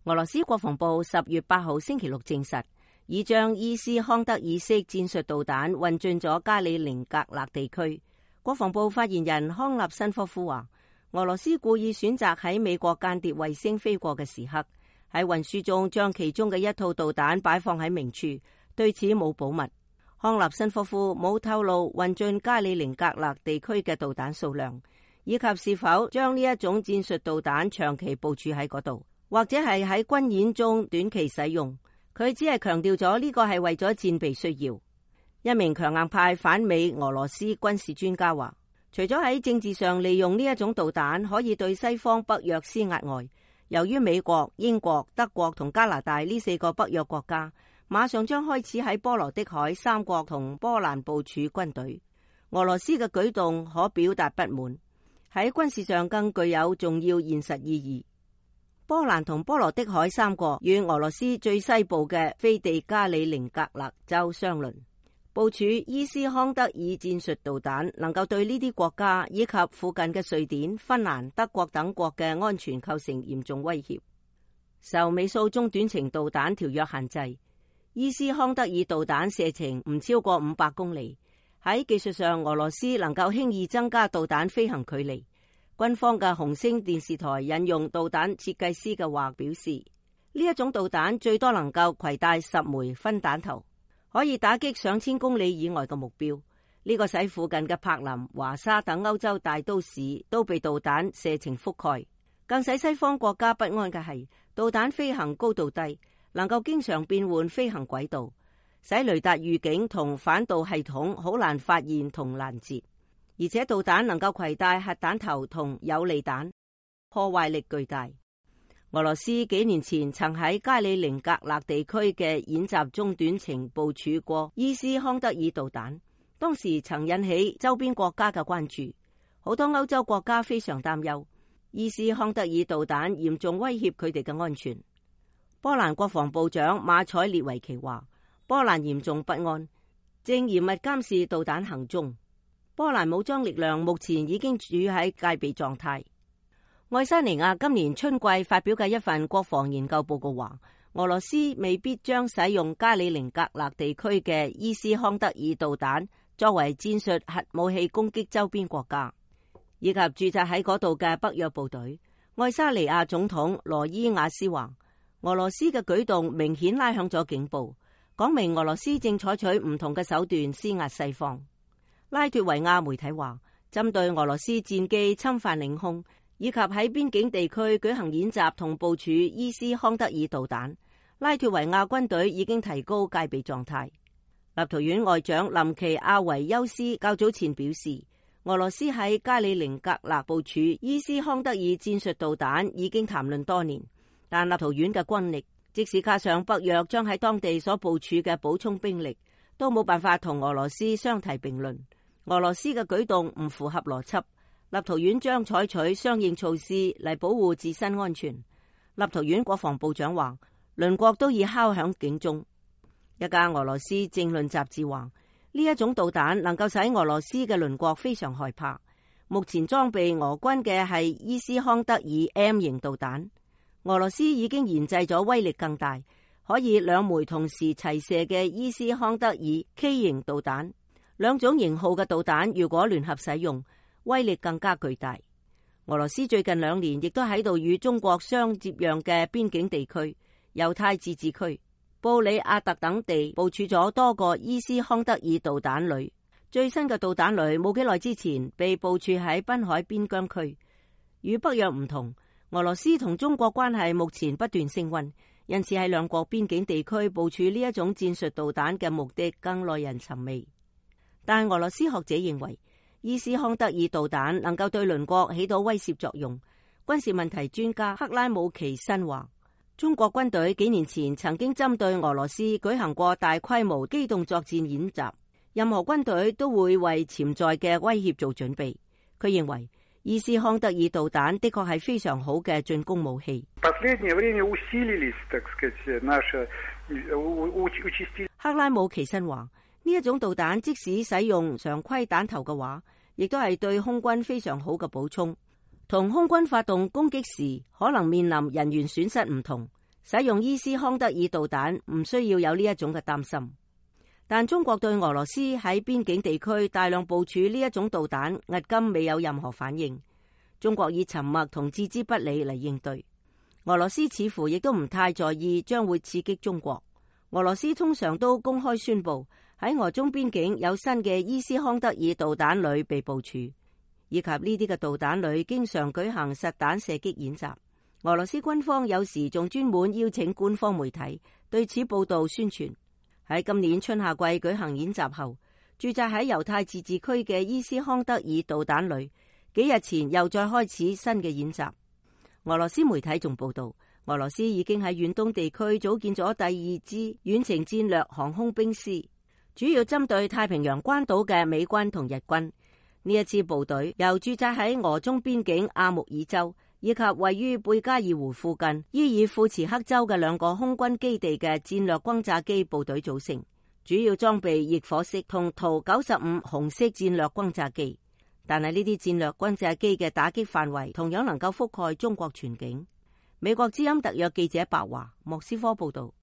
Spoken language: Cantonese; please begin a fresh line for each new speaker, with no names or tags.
俄羅斯國防部10月8號星期六證實，已將伊斯康德爾式戰術導彈運進咗加里寧格勒地區。國防部發言人康納申科夫話，俄羅斯故意選擇喺美國間諜衛星飛過嘅時刻，喺運輸中將其中嘅一套導彈擺放喺明處，對此冇保密。康納申科夫冇透露運進加里寧格勒地區嘅導彈數量，以及是否將呢一種戰術導彈長期部署喺嗰度，或者係喺軍演中短期使用。佢只係強調咗呢個係為咗戰備需要。一名強硬派反美俄羅斯軍事專家話，除咗喺政治上利用呢一種導彈可以對西方北約施壓外，由於美國、英國、德國同加拿大呢4個北約國家馬上將開始喺波羅的海3國同波蘭部署軍隊，俄羅斯嘅舉動可表達不滿，喺軍事上更具有重要現實意義。波蘭同波羅的海3國與俄羅斯最西部嘅飛地加里寧格勒州相鄰，部署伊斯康德爾戰術導彈能夠對呢啲國家以及附近嘅瑞典、芬蘭、德國等國嘅安全構成嚴重威脅。受美蘇中短程導彈條約限制，伊斯康德爾導彈射程唔超過500公里。喺技術上，俄羅斯能夠輕易增加導彈飛行距離。軍方嘅紅星電視台引用導彈設計師嘅話表示，呢一種導彈最多能夠攜帶10枚分彈頭，可以打擊上千公里以外嘅目標。呢個使附近嘅柏林、華沙等歐洲大都市都被導彈射程覆蓋。更使西方國家不安嘅係，導彈飛行高度低，能夠經常變換飛行軌道，使雷達預警同反導系統好難發現同攔截。而且導彈能夠攜帶核彈頭同有利彈，破壞力巨大。俄羅斯幾年前曾喺加里寧格勒地區嘅演習中短程部署過伊斯康德爾導彈，當時曾引起周邊國家嘅關注，好多歐洲國家非常擔憂伊斯康德爾導彈嚴重威脅佢哋嘅安全。波蘭國防部長馬采列維奇話，波蘭嚴重不安，正嚴密監視導彈行蹤。波蘭武裝力量目前已經處於喺戒備狀態。愛沙尼亞今年春季發表嘅一份國防研究報告話，俄羅斯未必將使用加里寧格勒地區嘅伊斯康德爾導彈作為戰術核武器攻擊周邊國家，以及駐紮喺嗰度嘅北約部隊。愛沙尼亞總統羅伊亞斯話，俄羅斯嘅舉動明顯拉響咗警報，講明俄羅斯正採取唔同嘅手段施壓西方。拉脫維亞媒體話，針對俄羅斯戰機侵犯領空以及喺邊境地區舉行演習同部署伊斯康德爾導彈，拉脫維亞軍隊已經提高戒備狀態。立陶宛外長林奇亞維休斯較早前表示，俄羅斯喺加里寧格勒部署伊斯康德爾戰術導彈已經談論多年，但立陶宛嘅軍力，即使加上北約將喺當地所部署嘅補充兵力，都冇辦法同俄羅斯相提並論。俄羅斯嘅舉動唔符合邏輯，立陶宛將採取相應措施嚟保護自身安全。立陶宛國防部長話，鄰國都已敲響警鐘。一家俄羅斯政論雜誌話，呢一種導彈能夠使俄羅斯嘅鄰國非常害怕。目前裝備俄軍嘅係伊斯康德爾 M 型導彈，俄羅斯已經研製咗威力更大，可以2枚同時齊射嘅伊斯康德爾 K 型導彈。兩種型號嘅導彈如果聯合使用，威力更加巨大。俄羅斯最近2年亦都喺度與中國相接壤嘅邊境地區、猶太自治區、布里亞特等地部署咗多個伊斯康德爾導彈旅。最新嘅導彈旅冇幾耐之前被部署喺濱海邊疆區。與北約唔同，俄羅斯同中國關係目前不斷升溫，因此喺兩國邊境地區部署呢一種戰術導彈嘅目的更耐人尋味。但俄羅斯學者認為，伊斯康德爾導彈能夠對鄰國起到威懾作用。軍事問題專家克拉姆奇申話，中國軍隊幾年前曾經針對俄羅斯舉行過大規模機動作戰演習，任何軍隊都會為潛在嘅威脅做準備。佢認為伊斯康德爾導彈的確係非常好嘅進攻武器。克拉姆奇申話，呢一種導彈即使使用常規彈頭嘅話，亦都係對空軍非常好嘅補充。同空軍發動攻擊時可能面臨人員損失唔同，使用伊斯康德爾導彈唔需要有呢一種嘅擔心。但中國對俄羅斯喺邊境地區大量部署呢一種導彈，至今未有任何反應。中國以沉默同置之不理嚟應對。俄羅斯似乎亦都唔太在意將會刺激中國。俄羅斯通常都公開宣布喺俄中邊境有新嘅伊斯康德爾導彈旅被部署，以及呢啲嘅導彈旅經常舉行實彈射擊演習。俄羅斯軍方有時仲專門邀請官方媒體對此報道宣傳。喺今年春夏季舉行演習後，駐紮喺猶太自治區嘅伊斯康德爾導彈旅幾日前又再開始新嘅演習。俄羅斯媒體仲報道，俄羅斯已經喺遠東地區組建咗第二支遠程戰略航空兵師，主要針對太平洋關島嘅美軍同日軍。呢一支部隊由駐紮喺俄中邊境阿穆爾州以及位於貝加爾湖附近伊爾庫茨克州嘅兩個空軍基地嘅戰略轟炸機部隊組成，主要裝備翼火式同圖95紅色戰略轟炸機。但係呢啲戰略轟炸機嘅打擊範圍同樣能夠覆蓋中國全境。美國之音特約記者白華莫斯科報道。